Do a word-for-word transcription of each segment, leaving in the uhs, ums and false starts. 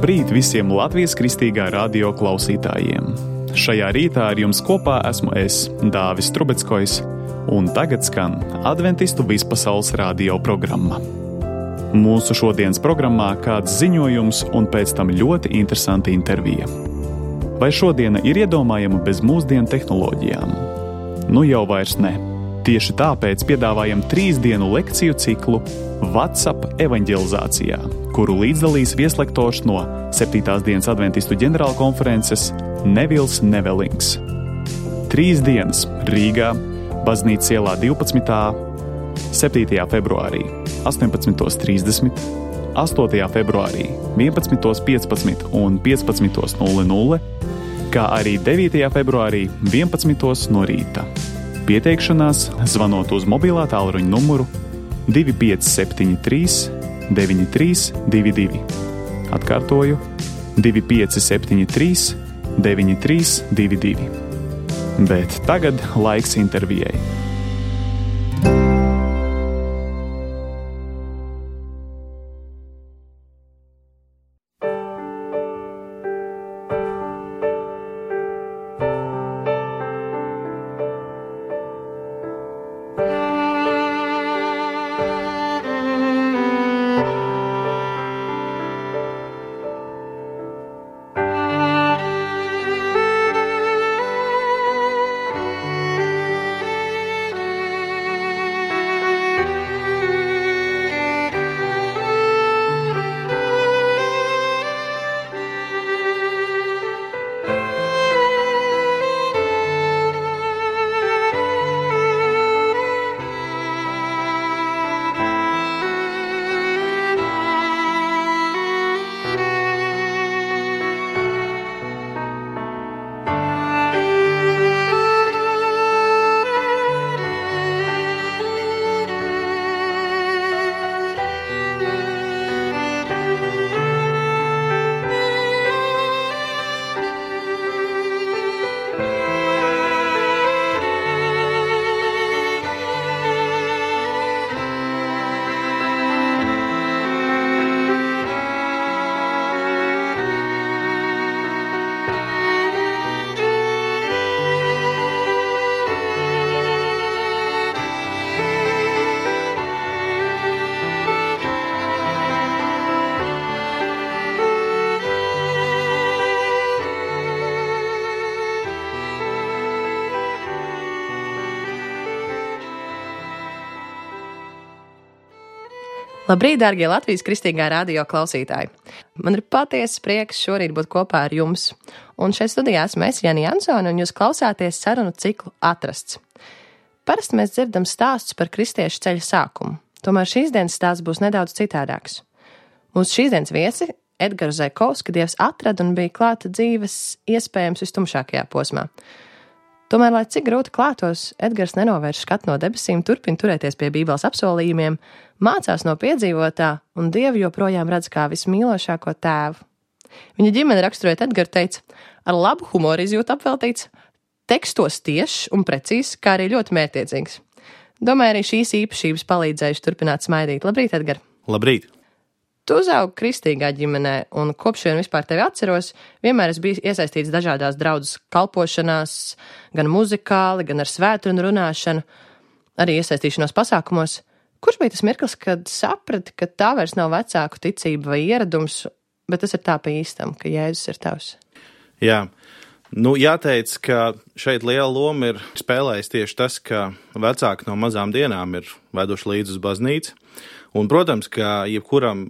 Labrīt visiem Latvijas Kristīgā radio klausītājiem! Šajā rītā ar jums kopā esmu es, Dāvis Trubeckojs, un tagad skan Adventistu vispasaules radio programma. Mūsu šodienas programmā kāds ziņojums un pēc tam ļoti interesanta intervija. Vai šodiena ir iedomājama bez mūsdienu tehnoloģijām? Nu jau vairs ne. Tieši tāpēc piedāvājam trīs dienu lekciju ciklu WhatsApp evaņģelizācijā, kuru līdzdalīs vieslektors no septītās dienas Adventistu ģenerālkonferences Nevils Nevelings. Trīs dienas Rīgā, Baznīcas ielā divpadsmitā, septītajā februārī astoņpadsmit trīsdesmit, astotajā februārī vienpadsmit piecpadsmit un piecpadsmit nulle nulle, kā arī devītajā februārī vienpadsmit no rīta. Pieteikšanās zvanot uz mobilā tālruņa numuru divi pieci septiņi trīs deviņi trīs divi divi. Atkārtoju divi pieci septiņi trīs deviņi trīs divi divi. Bet tagad laiks intervijai. Labrīt, dārgie Latvijas Kristīgā radio klausītāji! Man ir patiesa prieks šorīt būt kopā ar jums. Un šeit studijā esmu es, Jani Jansone, un jūs klausāties sarunu ciklu Atrasts. Parasti mēs dzirdam stāstus par kristiešu ceļa sākumu. Tomēr šīs dienas stāsts būs nedaudz citādāks. Mūsu šīs dienas viesi Edgaru Zaikovski Dievs atrada un bija klāta dzīves iespējams vistumšākajā posmā. Tomēr, lai cik grūti klātos, Edgars nenovērš skatu no debesīm, turpina turēties pie Bībeles apsolījumiem, mācās no piedzīvotā un Dievu joprojām redz kā vismīlošāko tēvu. Viņa ģimene raksturojot Edgaru teica, ar labu humoru izjūtu apveltīts, tekstos tiešs un precīzs, kā arī ļoti mērķtiecīgs. Domāju, arī šīs īpašības palīdzējuši turpināt smaidīt. Labrīt, Edgar! Labrīt! Tu uzaugi kristīgā ģimenē, un kopš vien vispār tevi atceros, vienmēr es biju iesaistīts dažādās draudzes kalpošanās, gan muzikāli, gan ar svētdienu runāšanu, arī iesaistīšanos pasākumos. Kurš bija tas mirklis, kad saprati, ka tā vairs nav vecāku ticība vai ieradums, bet tas ir tā pa īstam, ka Jēzus ir tavs? Jā, nu jāteic, ka šeit liela loma ir spēlējis tieši tas, ka vecāki no mazām dienām ir veduši līdz uz baznīcu. Un, protams, ka jebkuram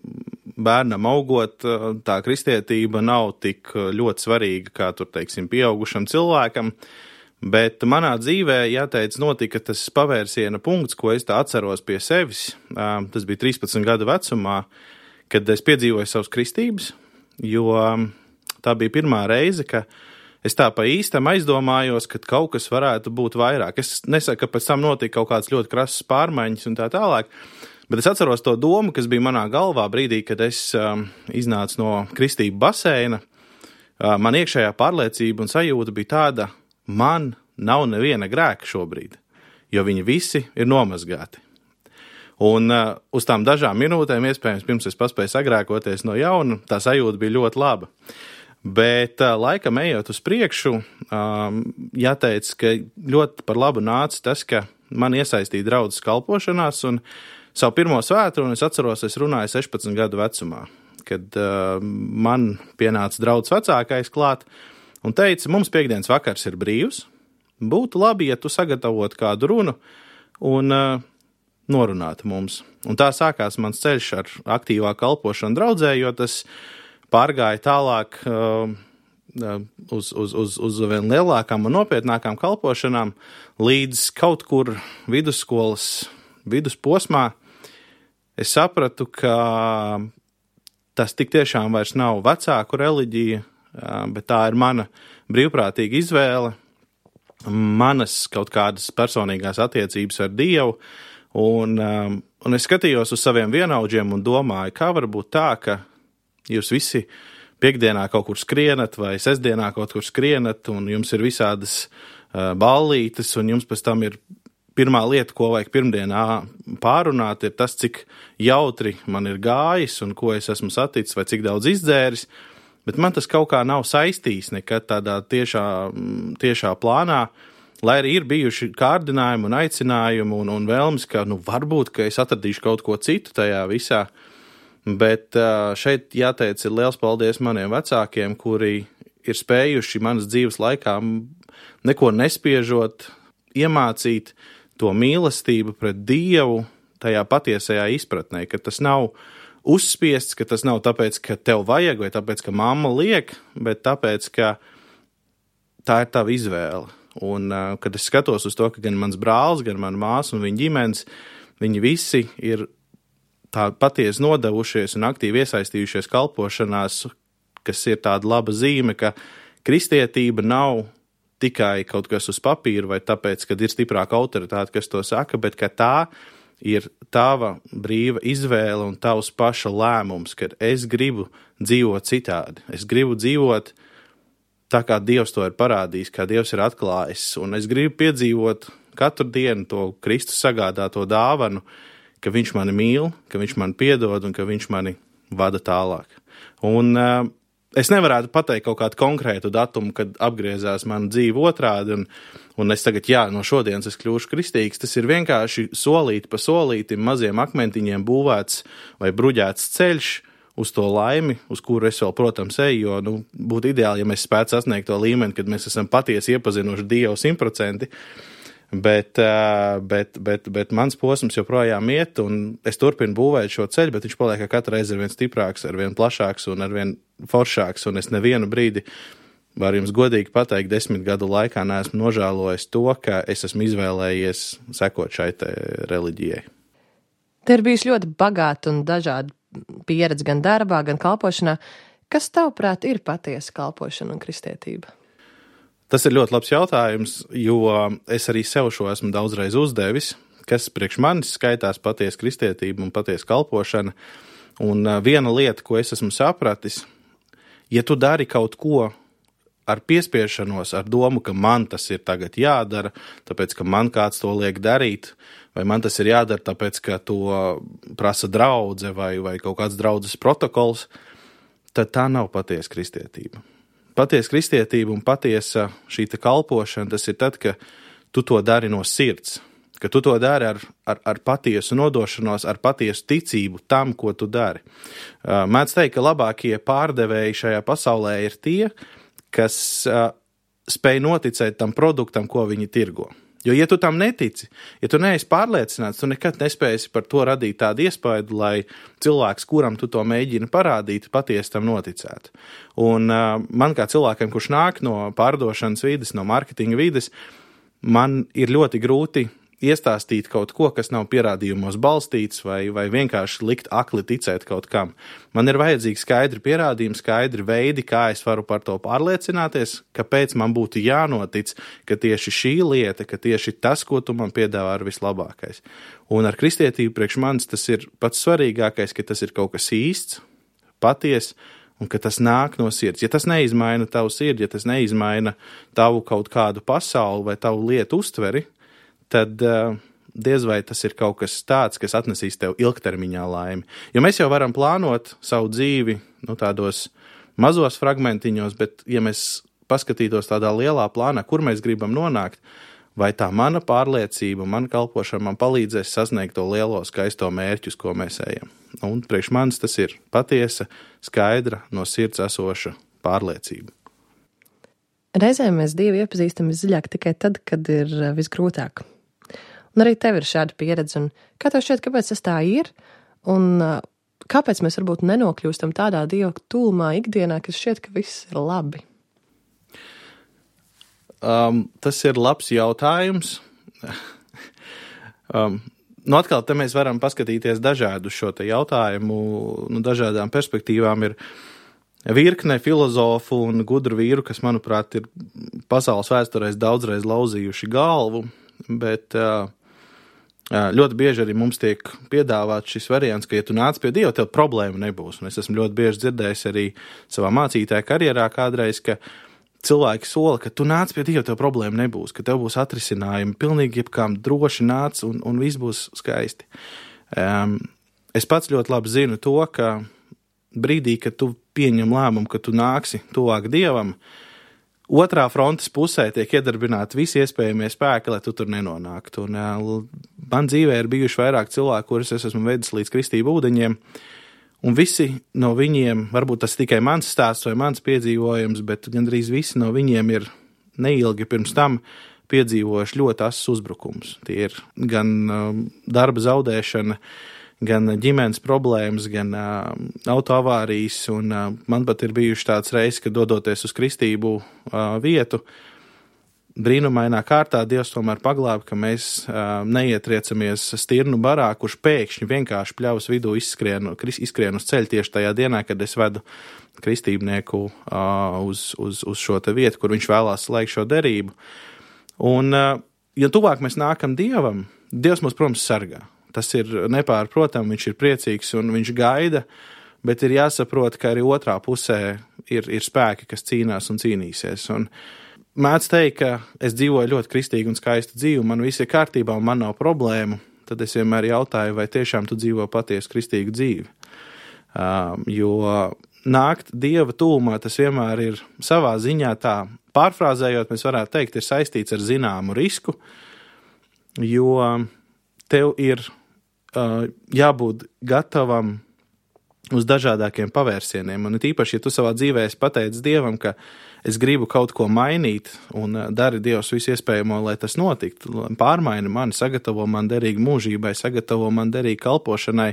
bērnam augot, tā kristietība nav tik ļoti svarīga, kā tur, teiksim, pieaugušam cilvēkam, bet manā dzīvē, jāteic, notika tas pavērsiena punkts, ko es tā atceros pie sevis. Tas bija trīspadsmit gadu vecumā, kad es piedzīvoju savas kristības, jo tā bija pirmā reize, ka es tā pa īstam aizdomājos, ka kaut kas varētu būt vairāk. Es nesaku, ka pēc tam notika kaut kāds ļoti krasas pārmaiņas un tā tālāk, bet es atceros to domu, kas bija manā galvā brīdī, kad es um, iznācu no kristību baseina. Uh, man iekšējā pārliecība un sajūta bija tāda, man nav neviena grēka šobrīd, jo viņi visi ir nomazgāti. Un uh, uz tām dažām minūtēm, iespējams, pirms es paspēju sagrēkoties no jauna, tā sajūta bija ļoti laba. Bet uh, laikam ejot uz priekšu, um, jāteic, ka ļoti par labu nāca tas, ka man iesaistīja draudzes kalpošanās, un savu pirmo svētdienu es atceros, es runāju sešpadsmit gadu vecumā, kad uh, man pienāca draudzes vecākais klāt un teica, mums piekdienas vakars ir brīvs, būtu labi, ja tu sagatavotu kādu runu un uh, norunātu mums. Un tā sākās mans ceļš ar aktīvā kalpošanu draudzē, jo tas pārgāja tālāk uh, uz, uz, uz, uz vien lielākām un nopietnākām kalpošanām, līdz kaut kur vidusskolas vidusposmā es sapratu, ka tas tik tiešām vairs nav vecāku reliģija, bet tā ir mana brīvprātīga izvēle, manas kaut kādas personīgās attiecības ar Dievu, un, un es skatījos uz saviem vienaudžiem un domāju, kā var būt tā, ka jūs visi piekdienā kaut kur skrienat vai sestdienā kaut kur skrienat, un jums ir visādas uh, ballītes, un jums pēc tam ir pirmā lieta, ko vajag pirmdienā pārunāt, ir tas, cik jautri man ir gājis, un ko es esmu saticis, vai cik daudz izdzēris, bet man tas kaut kā nav saistījis nekad tādā tiešā, tiešā plānā, lai arī ir bijuši kārdinājumi un aicinājumi un, un vēlmes, ka nu, varbūt, ka es atradīšu kaut ko citu tajā visā. Bet šeit jāteic ir liels paldies maniem vecākiem, kuri ir spējuši manas dzīves laikā neko nespiežot, iemācīt to mīlestību pret Dievu tajā patiesajā izpratnē, ka tas nav uzspiests, ka tas nav tāpēc, ka tev vajag vai tāpēc, ka mamma liek, bet tāpēc, ka tā ir tava izvēle. Un, uh, kad es skatos uz to, ka gan mans brālis, gan mana māsa un viņa ģimenes, viņi visi ir tā patiesi nodevušies un aktīvi iesaistījušies kalpošanās, kas ir tāda laba zīme, ka kristietība nav tikai kaut kas uz papīra vai tāpēc, kad ir stiprāka autoritāte, kas to saka, bet ka tā ir tava brīva izvēle un tavs paša lēmums, ka es gribu dzīvot citādi. Es gribu dzīvot tā, kā Dievs to ir parādījis, kā Dievs ir atklājis, un es gribu piedzīvot katru dienu to Kristus sagādāto dāvanu, ka viņš mani mīl, ka viņš mani piedod un ka viņš mani vada tālāk. Un uh, es nevarētu pateikt kaut kādu konkrētu datumu, kad apgriezās mana dzīve otrādi, un, un es tagad, jā, no šodienas es kļūšu kristīgs. Tas ir vienkārši solīti pa solītim, maziem akmentiņiem būvēts vai bruģēts ceļš uz to laimi, uz kuru es vēl, protams, eju, jo nu, būtu ideāli, ja mēs spētu sasniegt to līmeni, kad mēs esam patiesi iepazinuši Dievu simtprocentīgi, bet, bet, bet, bet mans posms joprojām iet, un es turpinu būvēt šo ceļu, bet viņš paliek katru reizi ar vien stiprāks, ar vien plašāks un ar vien foršāks, un es nevienu brīdi, var jums godīgi pateikt, desmit gadu laikā neesmu nožēlojis to, ka es esmu izvēlējies sekot šai te reliģijai. Te ir bijusi ļoti bagāta un dažāda pieredze gan darbā, gan kalpošanā. Kas tavuprāt ir patiesa kalpošana un kristietība? Tas ir ļoti labs jautājums, jo es arī sev šo esmu daudzreiz uzdevis, kas priekš manis skaitās patiesa kristietība un patiesa kalpošana. Un viena lieta, ko es esmu sapratis, ja tu dari kaut ko ar piespiešanos, ar domu, ka man tas ir tagad jādara, tāpēc, ka man kāds to liek darīt, vai man tas ir jādara tāpēc, ka to prasa draudze vai, vai kaut kāds draudzes protokols, tad tā nav patiesa kristietība. Patiesa kristietība un patiesa šī te kalpošana, tas ir tad, ka tu to dari no sirds, ka tu to dari ar, ar, ar patiesu nodošanos, ar patiesu ticību tam, ko tu dari. Mēdz teikt, ka labākie pārdevēji šajā pasaulē ir tie, kas uh, spēj noticēt tam produktam, ko viņi tirgo. Jo, ja tu tam netici, ja tu neesi pārliecināts, tu nekad nespēsi par to radīt tādu iespaidu, lai cilvēks, kuram tu to mēģini parādīt, patiesi tam noticētu. Un uh, man kā cilvēkiem, kurš nāk no pārdošanas vides, no marketinga vides, man ir ļoti grūti iestāstīt kaut ko, kas nav pierādījumos balstīts vai, vai vienkārši likt akli ticēt kaut kam. Man ir vajadzīgi skaidri pierādījumi, skaidri veidi, kā es varu par to pārliecināties, kāpēc man būtu jānotic, ka tieši šī lieta, ka tieši tas, ko tu man piedāvā, ir vislabākais. Un ar kristietību priekš manis tas ir pats svarīgākais, ka tas ir kaut kas īsts, paties, un ka tas nāk no sirds. Ja tas neizmaina tavu sirdi, ja tas neizmaina tavu kaut kādu pasauli vai tavu lietu uztveri, tad uh, diez vai tas ir kaut kas tāds, kas atnesīs tev ilgtermiņā laimi. Jo mēs jau varam plānot savu dzīvi, nu, tādos mazos fragmentiņos, bet ja mēs paskatītos tādā lielā plānā, kur mēs gribam nonākt, vai tā mana pārliecība, mana kalpošana man palīdzēs sasniegt to lielo skaisto mērķus, ko mēs ejam. Un priekš manis tas ir patiesa, skaidra, no sirds esoša pārliecība. Reizēm mēs Dievu iepazīstam visdziļāk tikai tad, kad ir visgrūtāk. Un arī tev ir šāda pieredze. Un kā tev šķiet, kāpēc tas tā ir? Un kāpēc mēs varbūt nenokļūstam tādā Dieva tūlumā ikdienā, kas šķiet, ka viss ir labi? Um, tas ir labs jautājums. um, nu atkal, te mēs varam paskatīties dažādu šo te jautājumu, nu dažādām perspektīvām ir virkne filozofu un gudru vīru, kas, manuprāt, ir pasaules vēsturēs daudzreiz lauzījuši galvu, bet uh, ļoti bieži arī mums tiek piedāvāts šis variants, ka, ja tu nāc pie Dieva, tev problēma nebūs. Un es esmu ļoti bieži dzirdējis arī savā mācītāja karjerā kādreiz, ka cilvēki sola, ka tu nāc pie Dieva, tev problēma nebūs, ka tev būs atrisinājumi, pilnīgi jebkām droši nāc un, un viss būs skaisti. Um, es pats ļoti labi zinu to, ka brīdī, kad tu pieņem lēmumu, ka tu nāksi tuvāk Dievam, otrā frontes pusē tiek iedarbināti visi iespējamie spēki, lai tu tur nenonāktu. Un, uh, man dzīvē ir bijuši vairāk cilvēku, kurus es esmu vedis līdz kristību ūdeņiem, un visi no viņiem, varbūt tas tikai mans stāsts vai mans piedzīvojums, bet gandrīz visi no viņiem ir neilgi pirms tam piedzīvojuši ļoti asas uzbrukums. Tie ir gan um, darba zaudēšana, gan ģimenes problēmas, gan uh, autoavārijas, un uh, man pat ir bijuši tāds reizes, ka dodoties uz kristību uh, vietu, brīnumainā kārtā Dievs tomēr paglāba, ka mēs uh, neietriecamies stirnu barā, kurš pēkšņi vienkārši pļavas vidū izskrien, izskrien uz ceļu tieši tajā dienā, kad es vedu kristībnieku uh, uz, uz, uz šo te vietu, kur viņš vēlās slēgt šo derību. Un, uh, ja tuvāk mēs nākam Dievam, Dievs mūs, protams, sargā. Tas ir nepārprotam, viņš ir priecīgs un viņš gaida, bet ir jāsaprot, ka arī otrā pusē ir, ir spēki, kas cīnās un cīnīsies. Un mēdz teikt, ka es dzīvoju ļoti kristīgu un skaistu dzīvi, man viss ir kārtībā un man nav problēmu, tad es vienmēr jautāju, vai tiešām tu dzīvo patiesu kristīgu dzīvi. Um, jo nākt Dieva tūmā, tas vienmēr ir savā ziņā tā, pārfrāzējot, mēs varētu teikt, ir saistīts ar zināmu risku, jo tev ir uh, jābūt gatavam uz dažādākiem pavērsieniem. Un tīpaši, ja tu savā dzīvē esi pateicis Dievam, ka es gribu kaut ko mainīt un dari Dievs visu iespējamo, lai tas notiktu, pārmaini mani, sagatavo man derīgi mūžībai, sagatavo man derīgi kalpošanai,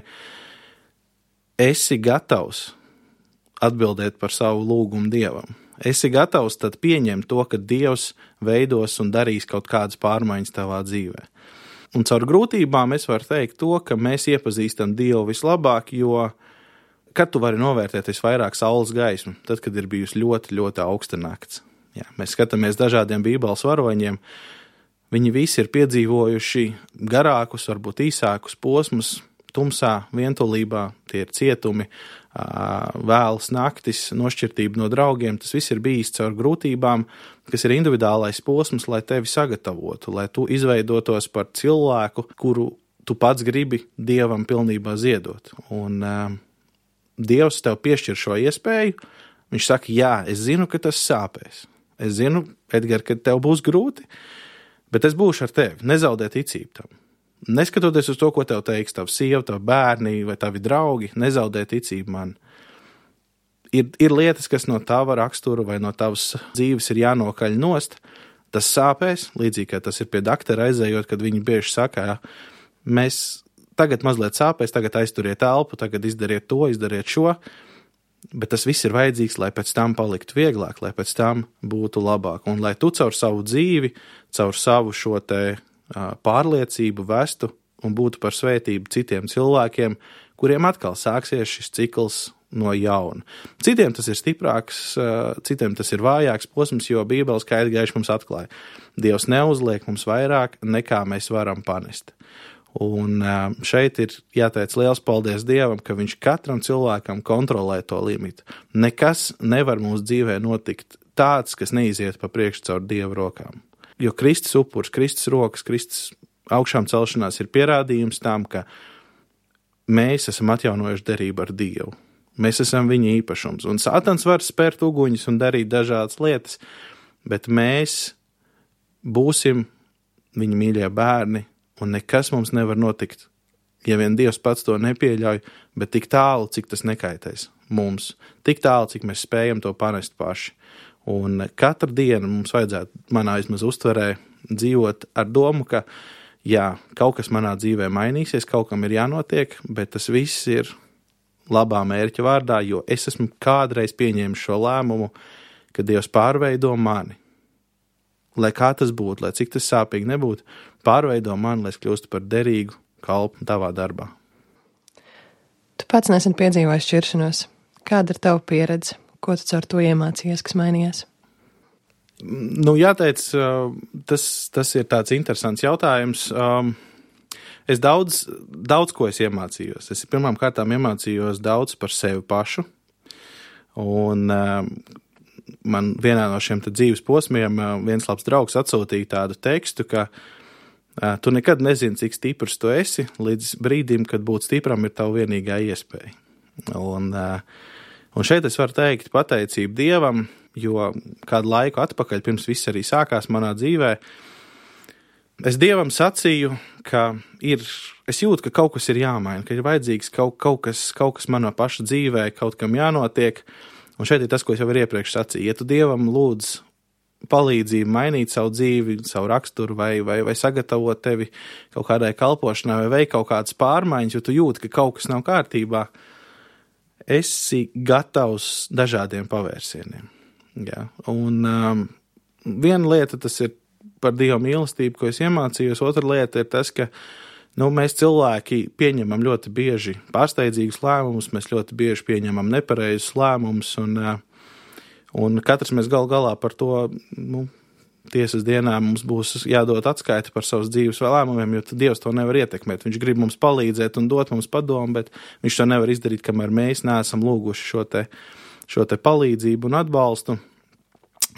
esi gatavs atbildēt par savu lūgumu Dievam. Esi gatavs tad pieņemt to, ka Dievs veidos un darīs kaut kādas pārmaiņas tavā dzīvē. Un caur grūtībām es varu teikt to, ka mēs iepazīstam Dievu vislabāk, jo kad tu vari novērtēt visvairāk saules gaismu? Tad, kad ir bijusi ļoti, ļoti augsta nakts. Jā, mēs skatāmies dažādiem bībeles varoņiem, viņi visi ir piedzīvojuši garākus, varbūt īsākus posmus, tumsā, vientulībā, tie ir cietumi, vēlas naktis, nošķirtība no draugiem, tas viss ir bijis caur grūtībām, kas ir individuālais posms, lai tevi sagatavotu, lai tu izveidotos par cilvēku, kuru tu pats gribi Dievam pilnībā ziedot. Un uh, Dievs tev piešķir šo iespēju, viņš saka, jā, es zinu, ka tas sāpēs. Es zinu, Edgar, ka tev būs grūti, bet es būšu ar tevi, nezaudē ticību tam. Neskatoties uz to, ko tev teiks tavu sievu, tavu bērni vai tavi draugi, nezaudē ticību man. Ir, ir lietas, kas no tava rakstura vai no tavas dzīves ir jānokaļ nost, tas sāpēs, līdzīgi, kā tas ir pie doktora aizējot, kad viņi bieži saka, mēs tagad mazliet sāpēs, tagad aizturiet elpu, tagad izdariet to, izdariet šo, bet tas viss ir vajadzīgs, lai pēc tam paliktu vieglāk, lai pēc tam būtu labāk, un lai tu caur savu dzīvi, caur savu šo te pārliecību vestu un būtu par svētību citiem cilvēkiem, kuriem atkal sāksies šis cikls no jauna. Citiem tas ir stiprāks, citiem tas ir vājāks posms, jo Bībele skaidri gaiši mums atklāja. Dievs neuzliek mums vairāk, nekā mēs varam panest. Un šeit ir jāteic liels paldies Dievam, ka viņš katram cilvēkam kontrolē to limitu. Nekas nevar mūsu dzīvē notikt tāds, kas neiziet pa priekšu caur Dieva rokām. Jo Kristus upurs, Kristus rokas, Kristus augšām celšanās ir pierādījums tam, ka mēs esam atjaunojuši derību ar Dievu. Mēs esam viņa īpašums. Un Sātans var spērt uguņus un darīt dažādas lietas, bet mēs būsim viņa mīļie bērni, un nekas mums nevar notikt, ja vien Dievs pats to nepieļauj, bet tik tālu, cik tas nekaitēs mums. Tik tālu, cik mēs spējam to panest paši. Un katru dienu mums vajadzētu manā vismaz uztverē dzīvot ar domu, ka jā, kaut kas manā dzīvē mainīsies, kaut kam ir jānotiek, bet tas viss ir labā mērķa vārdā, jo es esmu kādreiz pieņēmis šo lēmumu, ka Dievs pārveido mani. Lai kā tas būtu, lai cik tas sāpīgi nebūtu, pārveido mani, lai es kļūstu par derīgu kalpu tavā darbā. Tu pats nesen piedzīvoji šķiršanos. Kāda ir tava pieredze? Ko tu caur to iemācījies, kas mainījās? Nu, jāteic, tas, tas ir tāds interesants jautājums. Es daudz, daudz ko es iemācījos. Es pirmām kārtām iemācījos daudz par sevi pašu. Un man vienā no šiem dzīves posmiem viens labs draugs atsūtīja tādu tekstu, ka tu nekad nezini, cik stiprs tu esi, līdz brīdim, kad būt stipram ir tava vienīgā iespēja. Un, un šeit es varu teikt pateicību Dievam, jo kādu laiku atpakaļ, pirms viss arī sākās manā dzīvē, es Dievam sacīju, ka ir, es jūtu, ka kaut kas ir jāmaina, ka ir vajadzīgs kaut, kaut, kas, kaut kas manā paša dzīvē, kaut kam jānotiek. Un šeit ir tas, ko es jau ir iepriekš sacīju. Ja tu Dievam lūdz palīdzību mainīt savu dzīvi, savu raksturu vai, vai, vai sagatavot tevi kaut kādai kalpošanai vai veikt kaut kādas pārmaiņas, jo tu jūti, ka kaut kas nav kārtībā, esi gatavs dažādiem pavērsieniem. Jā. Un um, viena lieta tas ir par Dieva mīlestību, ko es iemācījos, otra lieta ir tas, ka nu, mēs cilvēki pieņemam ļoti bieži pārsteidzīgus lēmumus, mēs ļoti bieži pieņemam nepareizus lēmumus, un, un katrs mēs gal galā par to, nu, tiesas dienā mums būs jādod atskaiti par savas dzīves lēmumiem, jo Dievs to nevar ietekmēt. Viņš grib mums palīdzēt un dot mums padomu, bet viņš to nevar izdarīt, kamēr mēs neesam lūguši šo te, šo te palīdzību un atbalstu.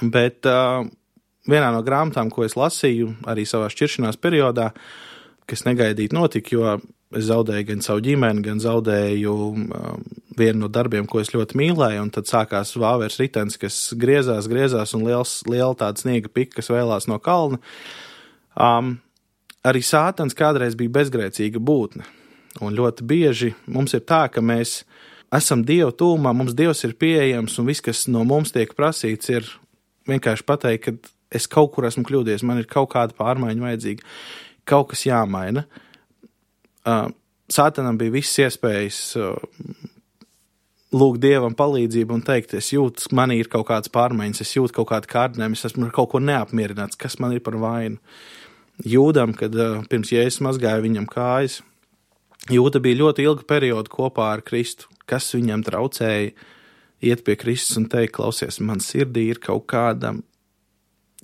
Bet uh, vienā no grāmatām, ko es lasīju arī savā šķiršanās periodā, kas negaidīt notika, jo es zaudēju gan savu ģimeni, gan zaudēju um, vienu no darbiem, ko es ļoti mīlēju, un tad sākās vāveres ritens, kas griezās, griezās, un liels, liela tāda sniega pika, kas vēlās no kalna. Um, arī Sātans kādreiz bija bezgrēcīga būtne, un ļoti bieži mums ir tā, ka mēs esam Dieva tūmā, mums Dievs ir pieejams, un viss, kas no mums tiek prasīts, ir vienkārši pateikt, ka es kaut kur esmu kļūdies, man ir kaut kāda pārmaiņa vajadzīga, kaut kas jāmaina. Uh, Sātanam bija visas iespējas uh, lūgt Dievam palīdzību un teikt, es jūtu, manī ir kaut kādas pārmaiņas, es jūtu kaut kādu kārdinājumu, es esmu ar kaut ko neapmierināts, kas man ir par vainu. Jūdam, kad uh, pirms Jēzus mazgāja viņam kājas, Jūda bija ļoti ilgu periodu kopā ar Kristu, kas viņam traucēja iet pie Kristus un teikt, klausies, man sirdī ir kaut kāda,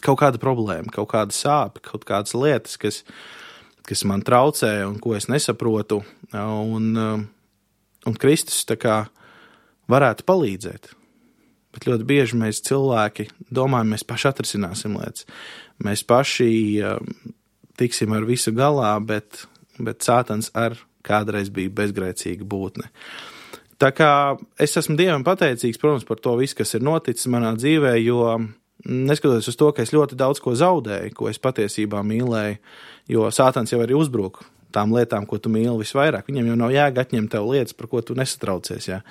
kaut kāda problēma, kaut kāda sāpe, kaut kādas lietas, kas kas man traucē un ko es nesaprotu, un, un Kristus tā kā varētu palīdzēt. Bet ļoti bieži mēs cilvēki domājam, mēs paši atrisināsim lietas. Mēs paši tiksim ar visu galā, bet, bet Sātans ar kādreiz bija bezgrēcīga būtne. Tā kā es esmu Dievam pateicīgs, protams, par to visu, kas ir noticis manā dzīvē, jo neskatoties uz to, ka es ļoti daudz ko zaudēju, ko es patiesībā mīlēju, jo Sātans jau arī uzbruka tām lietām, ko tu mīli visvairāk. Viņam jau nav jēga atņemt tev lietas, par ko tu nesatraucies, jā.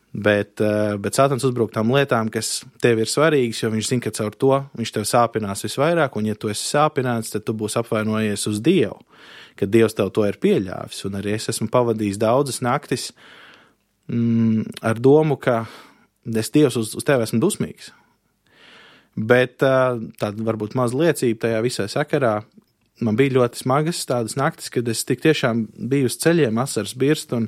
Bet, bet Sātans uzbruk tām lietām, kas tev ir svarīgas, jo viņš zina, ka caur to viņš tev sāpinās visvairāk, un ja tu esi sāpināts, tad tu būsi apvainojies uz Dievu, kad Dievs tev to ir pieļāvis. Un arī es esmu pavadījis daudzas naktis mm, ar domu, ka es Dievs uz, uz tevi esmu dusmīgs. Bet tāda varbūt maz liecība tajā visai sakarā. Man bija ļoti smagas tādas naktis, kad es tik tiešām biju uz ceļiem, asars birst, un,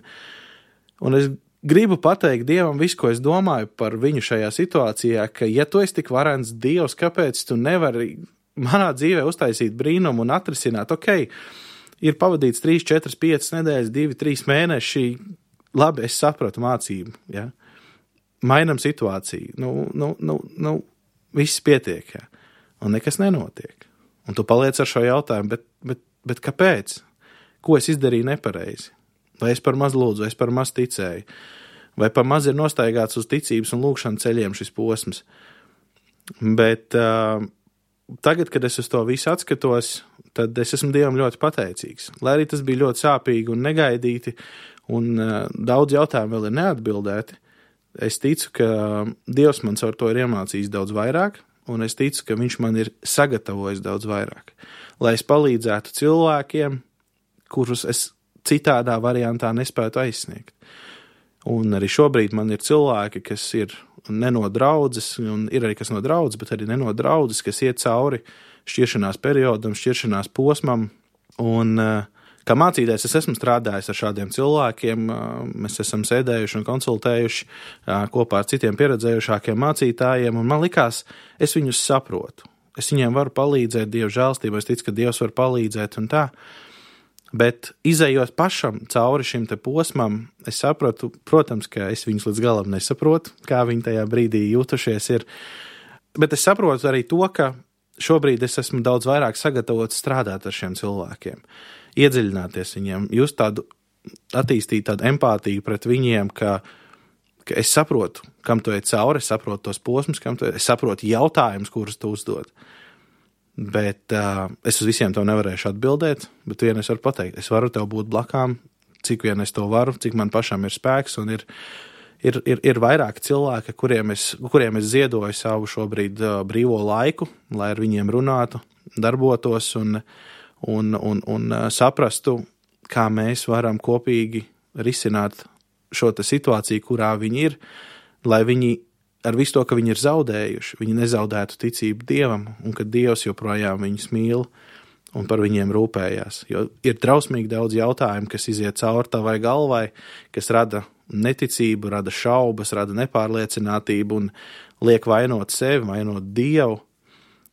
un es gribu pateikt Dievam visu, ko es domāju par viņu šajā situācijā, ka ja tu esi tik varens Dievs, kāpēc tu nevari manā dzīvē uztaisīt brīnumu un atrisināt, ok, ir pavadīts trīs, četras, piecas nedēļas, divi, trīs mēneši, labi, es sapratu mācību, ja? Mainam situāciju, nu, nu, nu, nu, viss pietiek, ja? Un nekas nenotiek. Un tu paliec ar šo jautājumu, bet, bet bet kāpēc? Ko es izdarīju nepareizi? Vai es par maz lūdzu, vai es par maz ticēju? Vai par maz ir nostaigāts uz ticības un lūkšana ceļiem šis posms? Bet uh, tagad, kad es uz to visu atskatos, tad es esmu Dievam ļoti pateicīgs. Lai arī tas bija ļoti sāpīgi un negaidīti, un uh, daudz jautājumu vēl ir neatbildēti, es ticu, ka Dievs man caur to ir iemācījis daudz vairāk, un es ticu, ka viņš man ir sagatavojis daudz vairāk. Lai es palīdzētu cilvēkiem, kurus es citādā variantā nespētu aizsniegt. Un arī šobrīd man ir cilvēki, kas ir ne no draudzes, un ir arī kas no draudzes, bet arī ne no draudzes, kas iet cauri šķiršanās periodam, šķiršanās posmam. Un kā mācītājs es esmu strādājis ar šādiem cilvēkiem, mēs esam sēdējuši un konsultējuši kopā ar citiem pieredzējušākiem mācītājiem, un man likās, es viņus saprotu. Es viņiem varu palīdzēt Dieva žēlstībā, es ticu, ka Dievs var palīdzēt un tā. Bet izējot pašam cauri šim te posmam, es sapratu, protams, ka es viņus līdz galam nesaprotu, kā viņi tajā brīdī jūtušies ir. Bet es saprotu arī to, ka šobrīd es esmu daudz vairāk sagatavots strādāt ar šiem cilvēkiem, iedziļināties viņiem, just tādu, attīstīt tādu empātiju pret viņiem, ka, ka es saprotu, kam tu ej cauri, es saprotu tos posmus, kam tu ej, es saprotu jautājumus, kurus tu uzdod. Bet uh, es uz visiem tev nevarēšu atbildēt, bet vien es varu pateikt, es varu tev būt blakām, cik vien es to varu, cik man pašam ir spēks, un ir, ir, ir, ir vairāki cilvēki, kuriem es, kuriem es ziedoju savu šobrīd uh, brīvo laiku, lai ar viņiem runātu, darbotos un, un, un, un uh, saprastu, kā mēs varam kopīgi risināt šo te situāciju, kurā viņi ir, lai viņi ar visu to, ka viņi ir zaudējuši, viņi nezaudētu ticību Dievam, un ka Dievs joprojām viņus mīl un par viņiem rūpējās. Jo ir drausmīgi daudz jautājumu, kas iziet cauri tavai galvai, kas rada neticību, rada šaubas, rada nepārliecinātību un liek vainot sevi, vainot Dievu,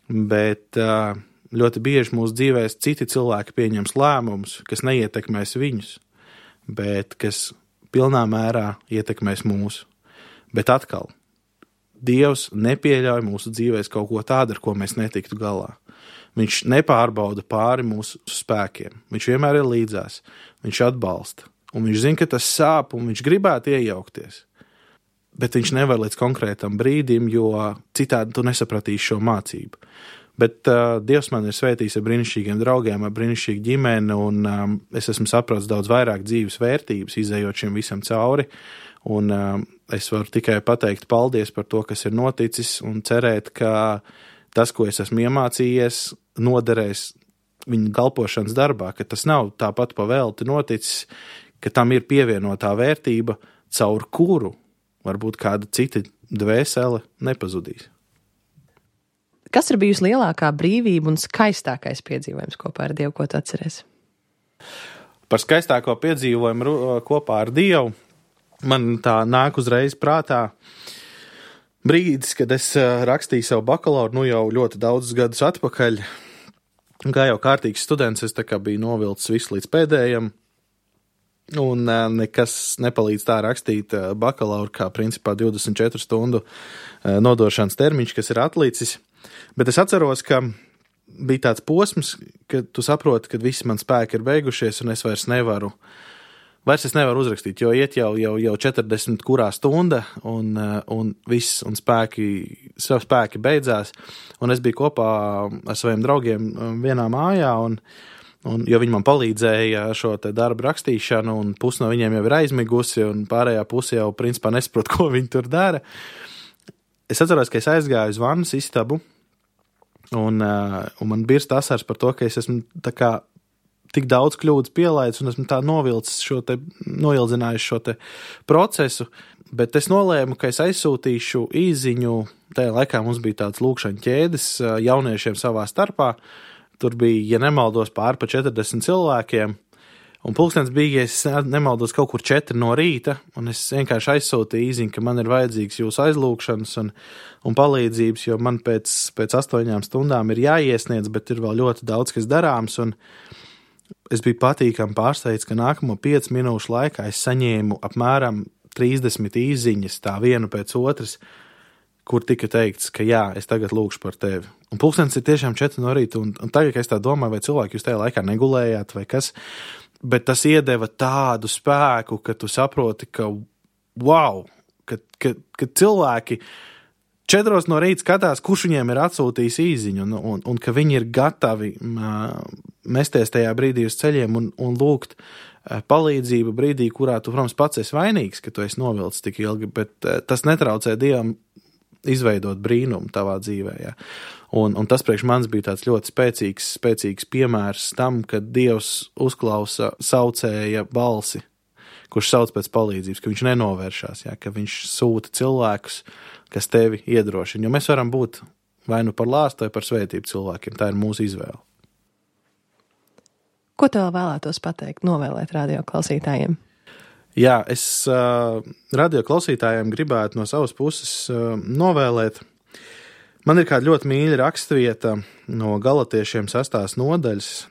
bet ļoti bieži mūsu dzīvēs citi cilvēki pieņems lēmumus, kas neietekmēs viņus, bet kas pilnā mērā ietekmēs mūsu. Bet atkal, Dievs nepieļauj mūsu dzīvēs kaut ko tādu, ar ko mēs netiktu galā. Viņš nepārbauda pāri mūsu spēkiem. Viņš vienmēr ir līdzās. Viņš atbalsta. Un viņš zina, ka tas sāp, un viņš gribētu iejaukties. Bet viņš nevar līdz konkrētam brīdim, jo citādi tu nesapratīsi šo mācību. Bet uh, Dievs man ir svētījis ar brīnišķīgiem draugiem, ar brīnišķīgu ģimeni, un um, es esmu sapratis daudz vairāk dzīves vērtības, izējot šim visam cauri. Un uh, es varu tikai pateikt paldies par to, kas ir noticis, un cerēt, ka tas, ko es esmu iemācījies, noderēs viņa kalpošanas darbā, ka tas nav tāpat pa velti noticis, ka tam ir pievienotā vērtība, caur kuru varbūt kāda cita dvēsele nepazudīs. Kas ir bijusi lielākā brīvība un skaistākais piedzīvojums kopā ar Dievu, ko tu atceries? Par skaistāko piedzīvojumu kopā ar Dievu man tā nāk uzreiz prātā brīdis, kad es rakstīju savu bakalauru, nu jau ļoti daudzus gadus atpakaļ. Kā jau kārtīgs students, es tā kā biju novilcis visu līdz pēdējam, un nekas nepalīdz tā rakstīt bakalauru, kā principā divdesmit četru stundu nodošanas termiņš, kas ir atlicis. Bet es atceros, ka bija tāds posms, kad tu saproti, ka visi man spēki ir beigušies, un es vairs nevaru Vairs es nevaru uzrakstīt, jo iet jau, jau, jau četrdesmit kurā stunda, un, un viss, un spēki, savi spēki beidzās. Un es biju kopā ar saviem draugiem vienā mājā, un, un, jo viņi man palīdzēja šo te darbu rakstīšanu, un pusi no viņiem jau ir aizmigusi, un pārējā pusi jau principā nesaprot, ko viņi tur dara. Es atceros, ka es aizgāju uz vannas istabu, un, un man birst asars par to, ka es esmu tā kā tik daudz kļūdas pielaidis, un esmu tā novilcis šo te, noildzinājis šo te procesu, bet es nolēmu, ka es aizsūtīšu īziņu, tajā laikā mums bija tāds lūkšana ķēdes jauniešiem savā starpā, tur bija, ja nemaldos, pār pa četrdesmit cilvēkiem, un pulkstens bija, ja es nemaldos, kaut kur četri no rīta, un es vienkārši aizsūtīju īziņu, ka man ir vajadzīgs jūsu aizlūkšanas un, un palīdzības, jo man pēc, pēc astoņām stundām ir jāiesniedz, bet ir vēl ļoti daudz, kas darāms, un es biju patīkami pārsteigts, ka nākamo piecu minūšu laikā es saņēmu apmēram trīsdesmit īziņas, tā vienu pēc otras, kur tika teikts, ka jā, es tagad lūkšu par tevi. Un pulkstenis ir tiešām četri no rīta, un, un tagad, ka es tā domāju, vai cilvēki jūs tajā laikā negulējāt, vai kas, bet tas iedeva tādu spēku, ka tu saproti, ka wow, ka, ka, ka cilvēki četros no rīta skatās, kurš viņiem ir atsūtījis īziņu, un, un, un ka viņi ir gatavi mesties tajā brīdī uz ceļiem un, un lūgt palīdzību brīdī, kurā tu, protams, pats esi vainīgs, ka tu esi novilcis tik ilgi, bet tas netraucē Dievam izveidot brīnumu tavā dzīvē. Ja. Un, un tas priekš manis bija tāds ļoti spēcīgs, spēcīgs piemērs tam, kad Dievs uzklausa saucēja balsi, kurš sauc pēc palīdzības, ka viņš nenovēršās, ja, ka viņš sūta cilvēkus, kas tevi iedrošina. Jo mēs varam būt vai nu par lāstu, vai par svētību cilvēkiem. Tā ir mūsu izvēle. Ko tev vēlētos pateikt, novēlēt radio klausītājiem? Jā, es uh, radio klausītājiem gribētu no savas puses uh, novēlēt. Man ir kāda ļoti mīļa rakstvieta no Galatiešiem sastās nodaļas,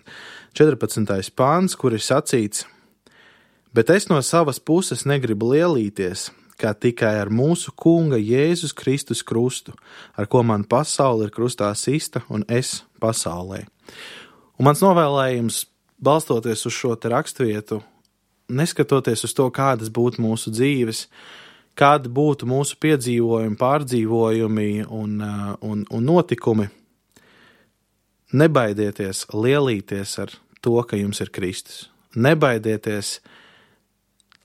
četrpadsmitais pāns, kur ir sacīts: bet es no savas puses negribu lielīties, kā tikai ar mūsu kunga Jēzus Kristus krustu, ar ko man pasaule ir krustā sista un es pasaulē. Un mans novēlējums, balstoties uz šo te rakstvietu, neskatoties uz to, kādas būtu mūsu dzīves, kādi būtu mūsu piedzīvojumi, pārdzīvojumi un, un, un notikumi, nebaidieties lielīties ar to, ka jums ir Kristus. Nebaidieties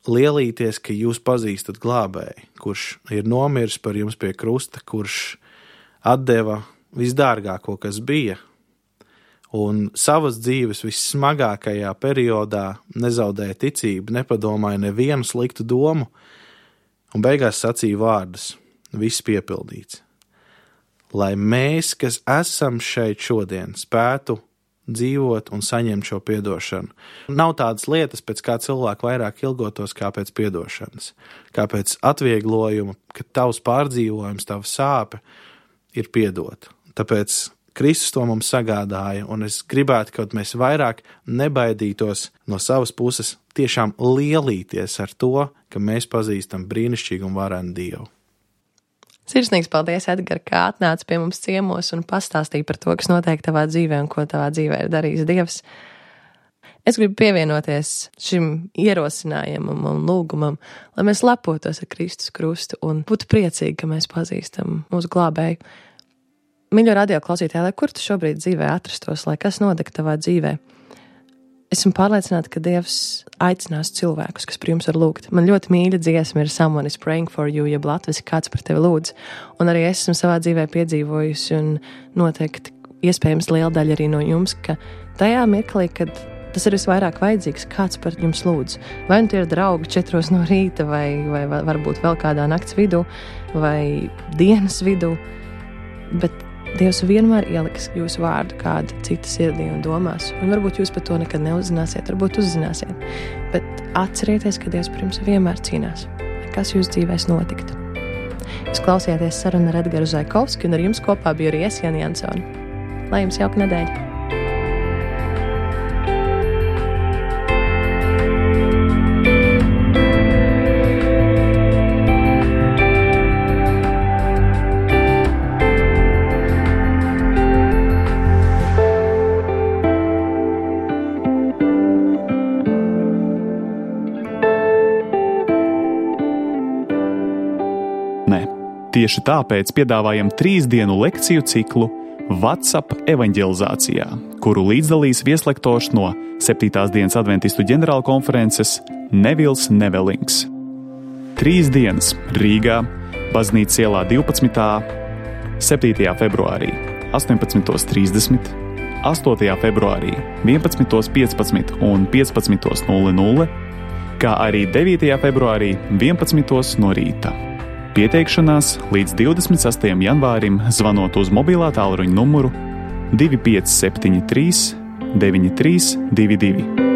lielīties, ka jūs pazīstat glābēju, kurš ir nomiris par jums pie krusta, kurš atdeva visdārgāko, kas bija, un savas dzīves vissmagākajā periodā nezaudēja ticību, nepadomāja nevienu sliktu domu, un beigās sacīja vārdus: viss piepildīts. Lai mēs, kas esam šeit šodien, spētu dzīvot un saņemt šo piedošanu. Nav tādas lietas, pēc kā cilvēki vairāk ilgotos, kā pēc piedošanas, kā pēc atvieglojuma, ka tavs pārdzīvojums, tava sāpe ir piedota. Tāpēc Kristus to mums sagādāja, un es gribētu, ka mēs vairāk nebaidītos no savas puses tiešām lielīties ar to, ka mēs pazīstam brīnišķīgu un varenu Dievu. Sirsnīgs paldies, Edgar, kā atnāci pie mums ciemos un pastāstīji par to, kas notiek tavā dzīvē un ko tavā dzīvē ir darījis Dievs. Es gribu pievienoties šim ierosinājumam un lūgumam, lai mēs lepotos ar Kristus krustu un būtu priecīgi, ka mēs pazīstam mūsu glābēju. Mīļo radio klausītāji, lai kur tu šobrīd dzīvē atrastos, lai kas notika tavā dzīvē, esmu pārliecināta, ka Dievs aicinās cilvēkus, kas par jums var lūgt. Man ļoti mīļa dziesma ir Someone is praying for you, jeb latviski kāds par tevi lūdz. Un arī es esmu savā dzīvē piedzīvojusi un noteikti iespējams liela daļa arī no jums, ka tajā mirklī, kad tas ir visvairāk vajadzīgs, kāds par jums lūdz. Vai nu tie ir draugi četros no rīta, vai, vai varbūt vēl kādā nakts vidū, vai dienas vidū, bet Dievs vienmēr ieliks jūsu vārdu kāda cita sirdī un domās, un varbūt jūs par to nekad neuzzināsiet, varbūt uzzināsiet, bet atcerieties, ka Dievs par jums vienmēr cīnās, kas jūsu dzīvēs notiktu. Jūs klausījāties sarunu ar Edgaru Zaikovski, un ar jums kopā biju arī es, Jani Jansoni. Lai jums jauka nedēļa! Tieši tāpēc piedāvājam trīs dienu lekciju ciklu WhatsApp evaņģelizācijā, kuru līdzdalīs vieslektors no septītās dienas adventistu ģenerāla konferences Nevils Nevelings. Trīs dienas Rīgā, Baznīcas ielā divpadsmitā, septītajā februārī astoņpadsmitos trīsdesmit, astotajā februārī vienpadsmitos piecpadsmit un piecpadsmitos nulle nulle, kā arī devītajā februārī vienpadsmitos no rīta. Pieteikšanās līdz divdesmit sastajam janvārim zvanot uz mobilā tālruņa numuru divi pieci septiņi trīs deviņi trīs divi divi.